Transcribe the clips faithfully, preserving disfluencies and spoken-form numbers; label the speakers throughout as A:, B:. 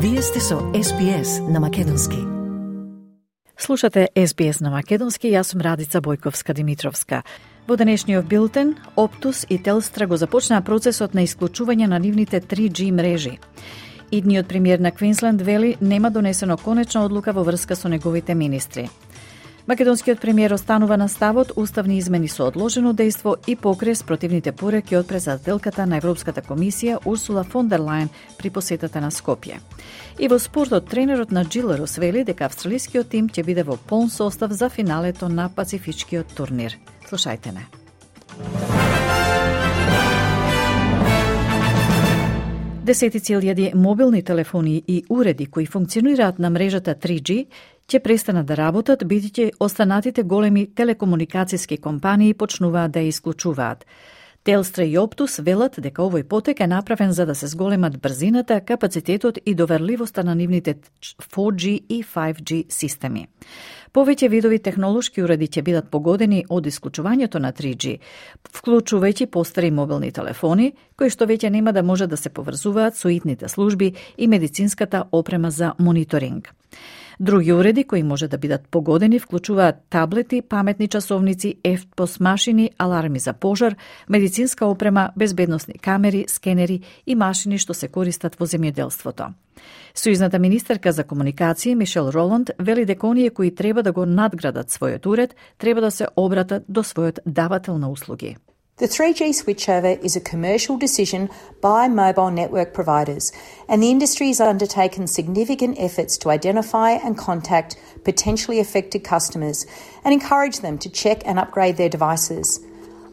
A: Вие сте со Ес Би Ес на Македонски.
B: Слушате Ес Би Ес на Македонски, јас сум Радица Бојковска-Димитровска. Во денешниот билтен, Оптус и Телстра го започнаа процесот на исклучување на нивните три джи мрежи. Идниот премиер на Квинсленд вели нема донесено конечна одлука во врска со неговите министри. Македонскиот премиер останува на ставот уставни измени со одложено дејство и покрес противните пореки од председателката на Европската комисија Урсула фон дер Лајен при посетата на Скопје. И во спортот, тренерот на Джилерос вели дека австралискиот тим ќе биде во полн состав за финалето на Пацифичкиот турнир. Слушајте не. Десетици илјади мобилни телефони и уреди кои функционираат на мрежата три джи ќе престанат да работат, бидејќи останатите големи телекомуникацијски компании почнуваат да ја исклучуваат. Телстра и Оптус велат дека овој потек е направен за да се зголемат брзината, капацитетот и доверливоста на нивните фор джи и фајв джи системи. Повеќе видови технолошки уреди ќе бидат погодени од исклучувањето на три джи, вклучувајќи постари мобилни телефони, кои што веќе нема да може да се поврзуваат со итните служби и медицинската опрема за мониторинг. Други уреди кои може да бидат погодени вклучуваат таблети, паметни часовници, ефпос машини, аларми за пожар, медицинска опрема, безбедносни камери, скенери и машини што се користат во земјоделството. Сојузната министерка за комуникација Мишел Роланд вели дека оние кои треба да го надградат својот уред треба да се обратат до својот давател на услуги.
C: The three G switchover is a commercial decision by mobile network providers, and the industry has undertaken significant efforts to identify and contact potentially affected customers and encourage them to check and upgrade their devices.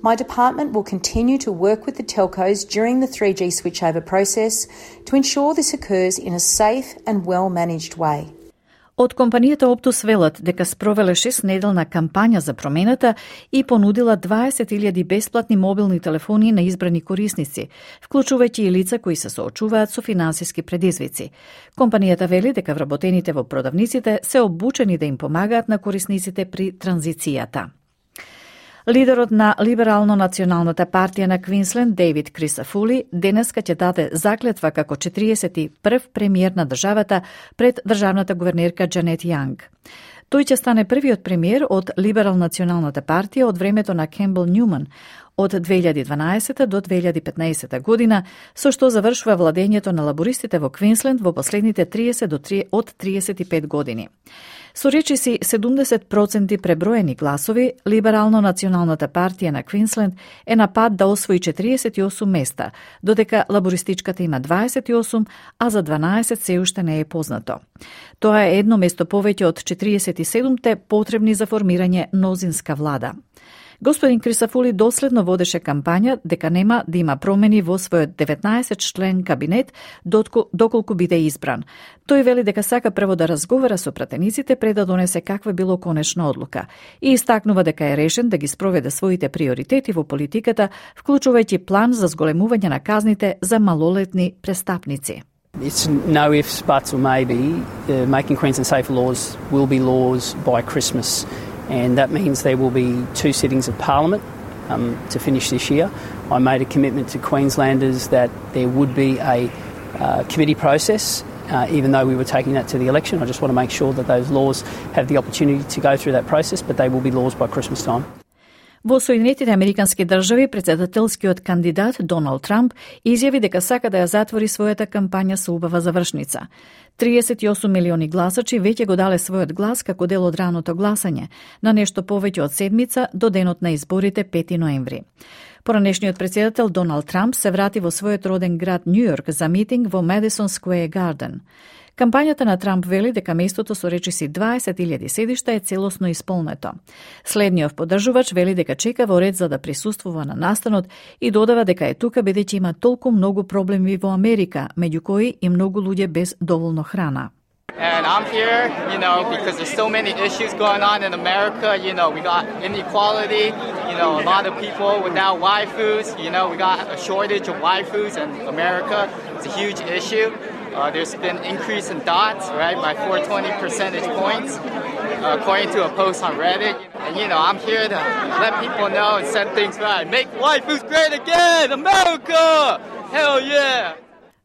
C: My department will continue to work with the telcos during the three G switchover process to ensure this occurs in a safe and well-managed way.
B: Од компанијата Оптус велат дека спровеле шестнеделна кампања за промената и понудила дваесет илјади бесплатни мобилни телефони на избрани корисници, вклучувајќи и лица кои се соочуваат со финансиски предизвици. Компанијата вели дека вработените во продавниците се обучени да им помагаат на корисниците при транзицијата. Лидерот на Либерално-националната партија на Квинсленд, Дейвид Крисафули, денеска ќе даде заклетва како четириесет и прв премиер на државата пред државната гувернерка Џанет Јанг. Тој ќе стане првиот премиер од Либерал-националната партија од времето на Кембел Њуман од две илјади и дванаесета до две илјади и петнаесета година, со што завршува владењето на лабористите во Квинсленд во последните триесет до од триесет и пет години. Со речиси седумдесет проценти преброени гласови, Либерално-националната партија на Квинсленд е на пат да освои четириесет и осум места, додека лабористичката има дваесет и осум, а за дванаесет се уште не е познато. Тоа е едно место повеќе од четириесет и седумте потребни за формирање мнозинска влада. Господин Крисафули доследно водеше кампања дека нема да има промени во својот деветнаесет член кабинет доколку биде избран. Тој вели дека сака прво да разговара со пратениците пред да донесе каква било конечна одлука и истакнува дека е решен да ги спроведе своите приоритети во политиката, вклучувајќи план за зголемување на казните за малолетни престапници.
D: It's no ifs, buts or maybe. Uh, making Queensland safer laws will be laws by Christmas. And that means there will be two sittings of Parliament um, to finish this year. I made a commitment to Queenslanders that there would be a uh, committee process, uh, even though we were taking that to the election. I just want to make sure that those laws have the opportunity to go through that process, but they will be laws by Christmas time.
B: Во Соединетите Американски држави, председателскиот кандидат Доналд Трамп изјави дека сака да ја затвори својата кампања со убава завршница. триесет и осум милиони гласачи веќе го дале својот глас како дел од раното гласање, на нешто повеќе од седмица до денот на изборите пети ноември. Поранешниот председател Доналд Трамп се врати во својот роден град Њујорк за митинг во Madison Square Garden. Кампањата на Трамп вели дека местото со речиси дваесет илјади седишта е целосно исполнето. Следниот поддржувач вели дека чека во ред за да присуствува на настанот и додава дека е тука бидејќи има толку многу проблеми во Америка, меѓу кои и многу луѓе без доволно храна.
E: And I'm here, you know, because there's so many issues going on in America. You know, we got inequality, you know, a lot of people without waifus. You know, we got a shortage of waifus in America. It's a huge issue. Uh, there's been increase in dots, right, by four hundred twenty percentage points, uh, according to a post on Reddit. And, you know, I'm here to let people know and set things right. Make waifus great again, America! Hell yeah!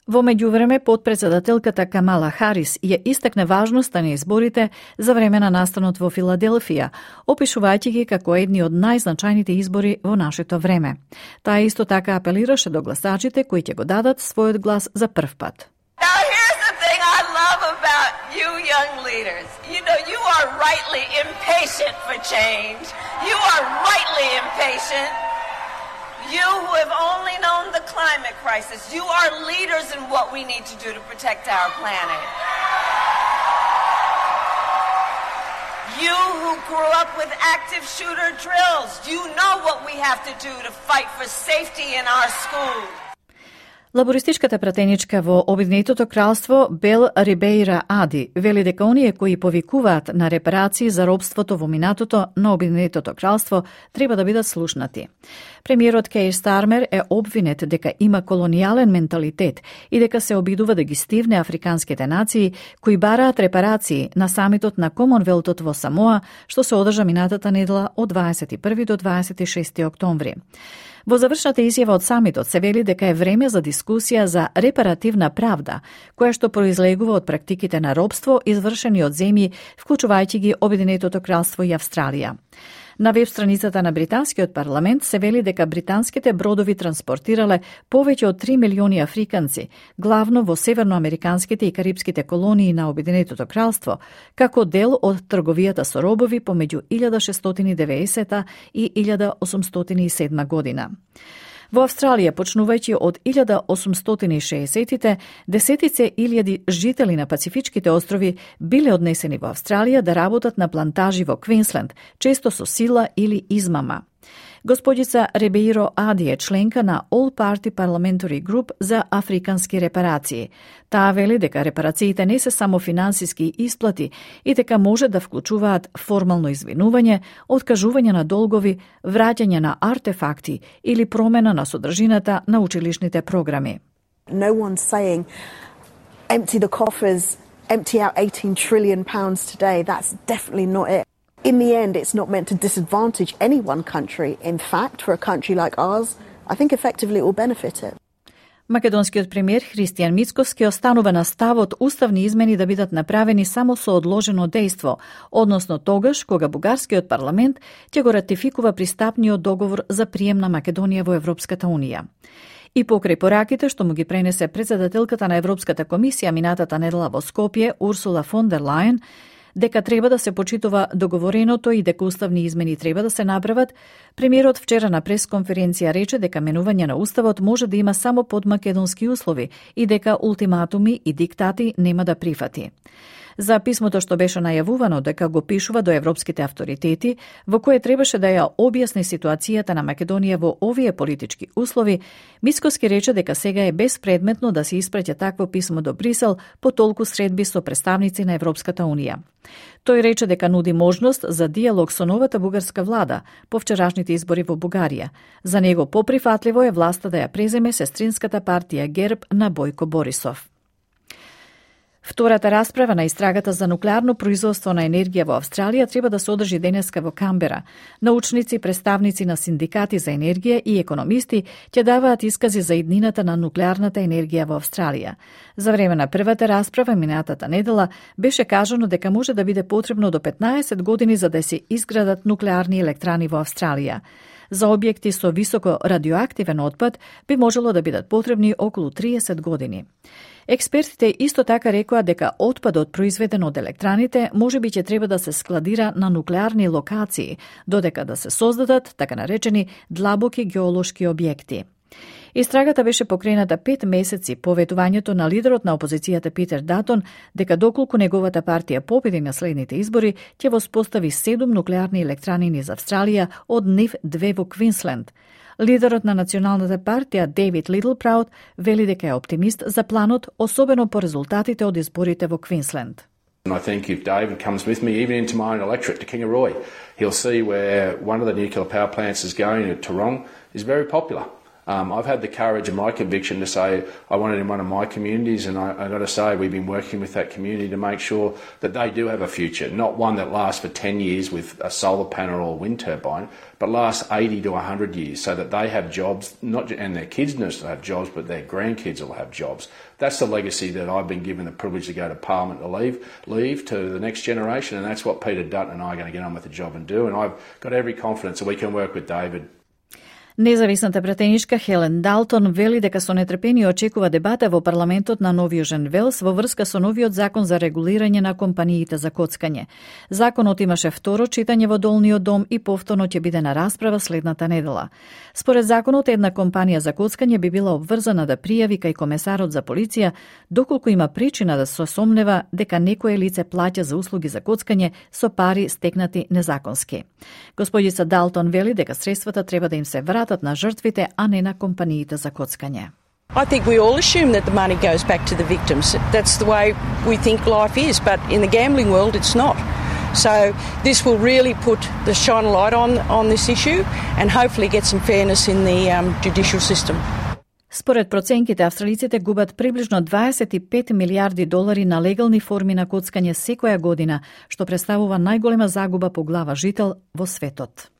B: Во меѓувреме, подпредседателката Камала Харис ја истакне важноста на изборите за време на настанот во Филаделфија, опишувајќи ги како едни од најзначајните избори во нашето време. Таа исто така апелираше до гласачите кои ќе го дадат својот глас за прв пат.
F: Now here's the thing I love about you young leaders. You know, you are rightly impatient for change. You are rightly impatient. You who have only known the climate crisis, you are leaders in what we need to do to protect our planet. You who grew up with active shooter drills, you know what we have to do to fight for safety in our schools.
B: Лабористичката пратеничка во Обединетото кралство Бел Рибеира Ади вели дека оние кои повикуваат на репарации за робството во минатото на Обединетото кралство треба да бидат слушнати. Премиерот Кейр Стармер е обвинет дека има колонијален менталитет и дека се обидува да ги стивне африканските нации кои бараат репарации на самитот на Комонвелтот во Самоа, што се одржа минатата недела од дваесет и први до дваесет и шести октомври. Во завршната изјава од самитот се вели дека е време за дискусија за репаративна правда, која што произлегува од практиките на робство извршени од земји, вклучувајќи ги Обединетото кралство и Австралија. На веб страницата на британскиот парламент се вели дека британските бродови транспортирале повеќе од три милиони африканци, главно во северноамериканските и карипските колонии на Обединетото кралство, како дел од трговијата со робови помеѓу илјада шестстотини и деветдесета и илјада осумстотини и седма година. Во Австралија, почнувајќи од илјада осумстотини и шеесеттите, десетице илјади жители на Пацифичките острови биле однесени во Австралија да работат на плантажи во Квинсленд, често со сила или измама. Господица Рибеиро Ади е членка на All Party Parliamentary Group за африкански репарации. Таа вели дека репарациите не се само финансиски исплати и дека може да вклучуваат формално извинување, откажување на долгови, враќање на артефакти или промена на содржината на училишните програми.
G: No one's saying empty the coffers, empty out eighteen trillion pounds today. That's definitely not it. In the end, it's not meant to disadvantage any one country. In fact, for a country like ours, I think effectively it will benefit it.
B: Македонскиот премиер Христијан Мицкоски останува на ставот уставни измени да бидат направени само со одложено дејство, односно тогаш кога бугарскиот парламент ќе го ратификува пристапниот договор за прием на Македонија во Европската унија. И покрај пораките што му ги пренесе председателката на Европската комисија минатата недела во Скопје Урсула фон дер Лајен, дека треба да се почитува договореното и дека уставни измени треба да се направат, премиерот вчера на пресконференција рече дека менување на уставот може да има само под македонски услови и дека ултиматуми и диктати нема да прифати. За писмото што беше најавувано дека го пишува до европските авторитети, во кое требаше да ја објасни ситуацијата на Македонија во овие политички услови, Мицкоски рече дека сега е безпредметно да се испраќа такво писмо до Брисел по толку средби со представници на Европската унија. Тој рече дека нуди можност за диалог со новата бугарска влада по вчерашните избори во Бугарија. За него поприфатливо е власта да ја преземе сестринската партија ГЕРБ на Бојко Борисов. Втората расправа на истрагата за нуклеарно производство на енергија во Австралија треба да се одржи денеска во Камбера. Научници, представници на синдикати за енергија и економисти ќе даваат искази за иднината на нуклеарната енергија во Австралија. За време на првата расправа минатата недела беше кажано дека може да биде потребно до петнаесет години за да се изградат нуклеарни електрани во Австралија. За објекти со високо радиоактивен отпад би можело да бидат потребни околу триесет години. Експертите исто така рекоа дека отпадот произведен од електраните може би ќе треба да се складира на нуклеарни локации, додека да се создадат така наречени длабоки геолошки објекти. Истрагата беше покрената пет месеци по ветувањето на лидерот на опозицијата Питер Датон дека доколку неговата партија победи на следните избори, ќе воспостави седум нуклеарни електрани низ Австралија, од нив две во Квинсленд. Лидерот на националната партија Дейвид Литлпраут вели дека е оптимист за планот, особено по резултатите од изборите во Квинсленд.
H: I think if David comes with me, even into my own electorate to Kingaroy, he'll see where one of the nuclear power plants is going at Tarong is very popular. Um, I've had the courage and my conviction to say I want it in one of my communities, and I, I've got to say we've been working with that community to make sure that they do have a future, not one that lasts for ten years with a solar panel or a wind turbine, but lasts eighty to one hundred years, so that they have jobs, not and their kids not just have jobs, but their grandkids will have jobs. That's the legacy that I've been given the privilege to go to Parliament to leave, leave to the next generation, and that's what Peter Dutton and I are going to get on with the job and do, and I've got every confidence that we can work with David.
B: Независната пратеничка Хелен Далтон вели дека со нетрпение очекува дебата во парламентот на Нов Јужен Велс во врска со новиот закон за регулирање на компаниите за коцкање. Законот имаше второ читање во Долниот дом и повторно ќе биде на расправа следната недела. Според законот, една компанија за коцкање би била обврзана да пријави кај комесарот за полиција доколку има причина да се сомнева дека некое лице плаќа за услуги за коцкање со пари стекнати незаконски. Господица Далтон вели дека средствата треба да им се вратат на жртвите, а не на компаниите за коцкање.
I: I think we all assume that the money goes back to the victims. That's the way we think life is, but in the gambling world it's not. So this will really put the shine a light on on this issue and hopefully get some fairness in the um, judicial system.
B: Според проценките, австралиците губат приближно дваесет и пет милиарди долари на легални форми на коцкање секоја година, што представува најголема загуба по глава жител во светот.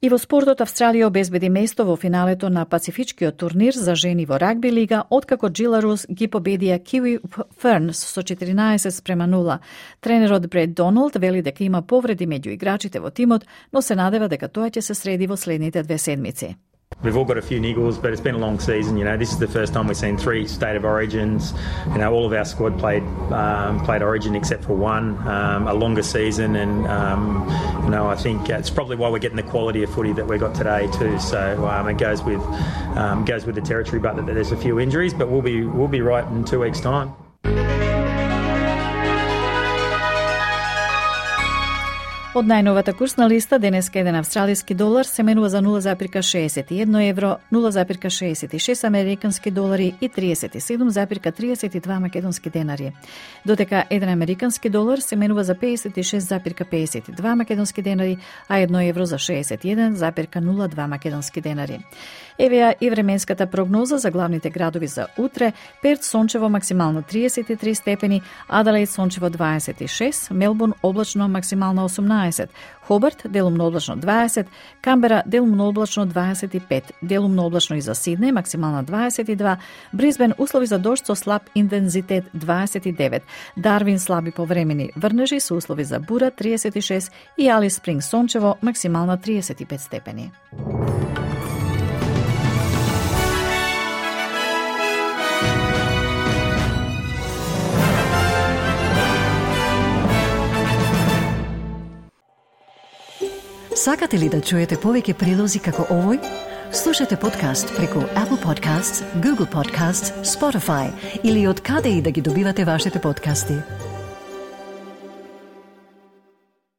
B: И во спортот, Австралија обезбеди место во финалето на Пацифичкиот турнир за жени во рагби лига, откако Джиларус ги победија Kiwi Ferns со четиринаесет спрема нула. Тренерот Бред Доналд вели дека има повреди меѓу играчите во тимот, но се надева дека тоа ќе се среди во следните две седмици.
J: We've all got a few niggles, but it's been a long season. You know, this is the first time we've seen three state of origins. You know, all of our squad played um, played origin except for one. Um, a longer season, and um, you know, I think it's probably why we're getting the quality of footy that we got today too. So um, it goes with um, goes with the territory, but there's a few injuries. But we'll be we'll be right in two weeks' time.
B: Од најновата курсна листа, денеска еден австралиски долар се менува за нула запирка шеесет и едно евро, нула запирка шеесет и шест американски долари и триесет и седум запирка триесет и два македонски денари. Додека еден американски долар се менува за пеесет и шест запирка пеесет и два македонски денари, а едно евро за шеесет и еден запирка нула два македонски денари. Евеа и временската прогноза за главните градови за утре: Перт сончево максимално триесет и три степени, Аделаид сончево дваесет и шест, Мелбурн облачно максимално осумнаесет, Хобарт делумно облачно дваесет, Камбера делумно облачно дваесет и пет, делумно облачно и за Сиднеј максимално дваесет и два, Брисбен услови за дожд со слаб интензитет дваесет и девет, Дарвин слаби повремени врнежи со услови за бура триесет и шест и Алис Спринг сончево максимално триесет и пет степени.
A: Сакате ли да чуете повеќе прилози како овој? Слушате подкаст преку Apple Podcasts, Google Podcasts, Spotify или од каде и да ги добивате вашите подкасти.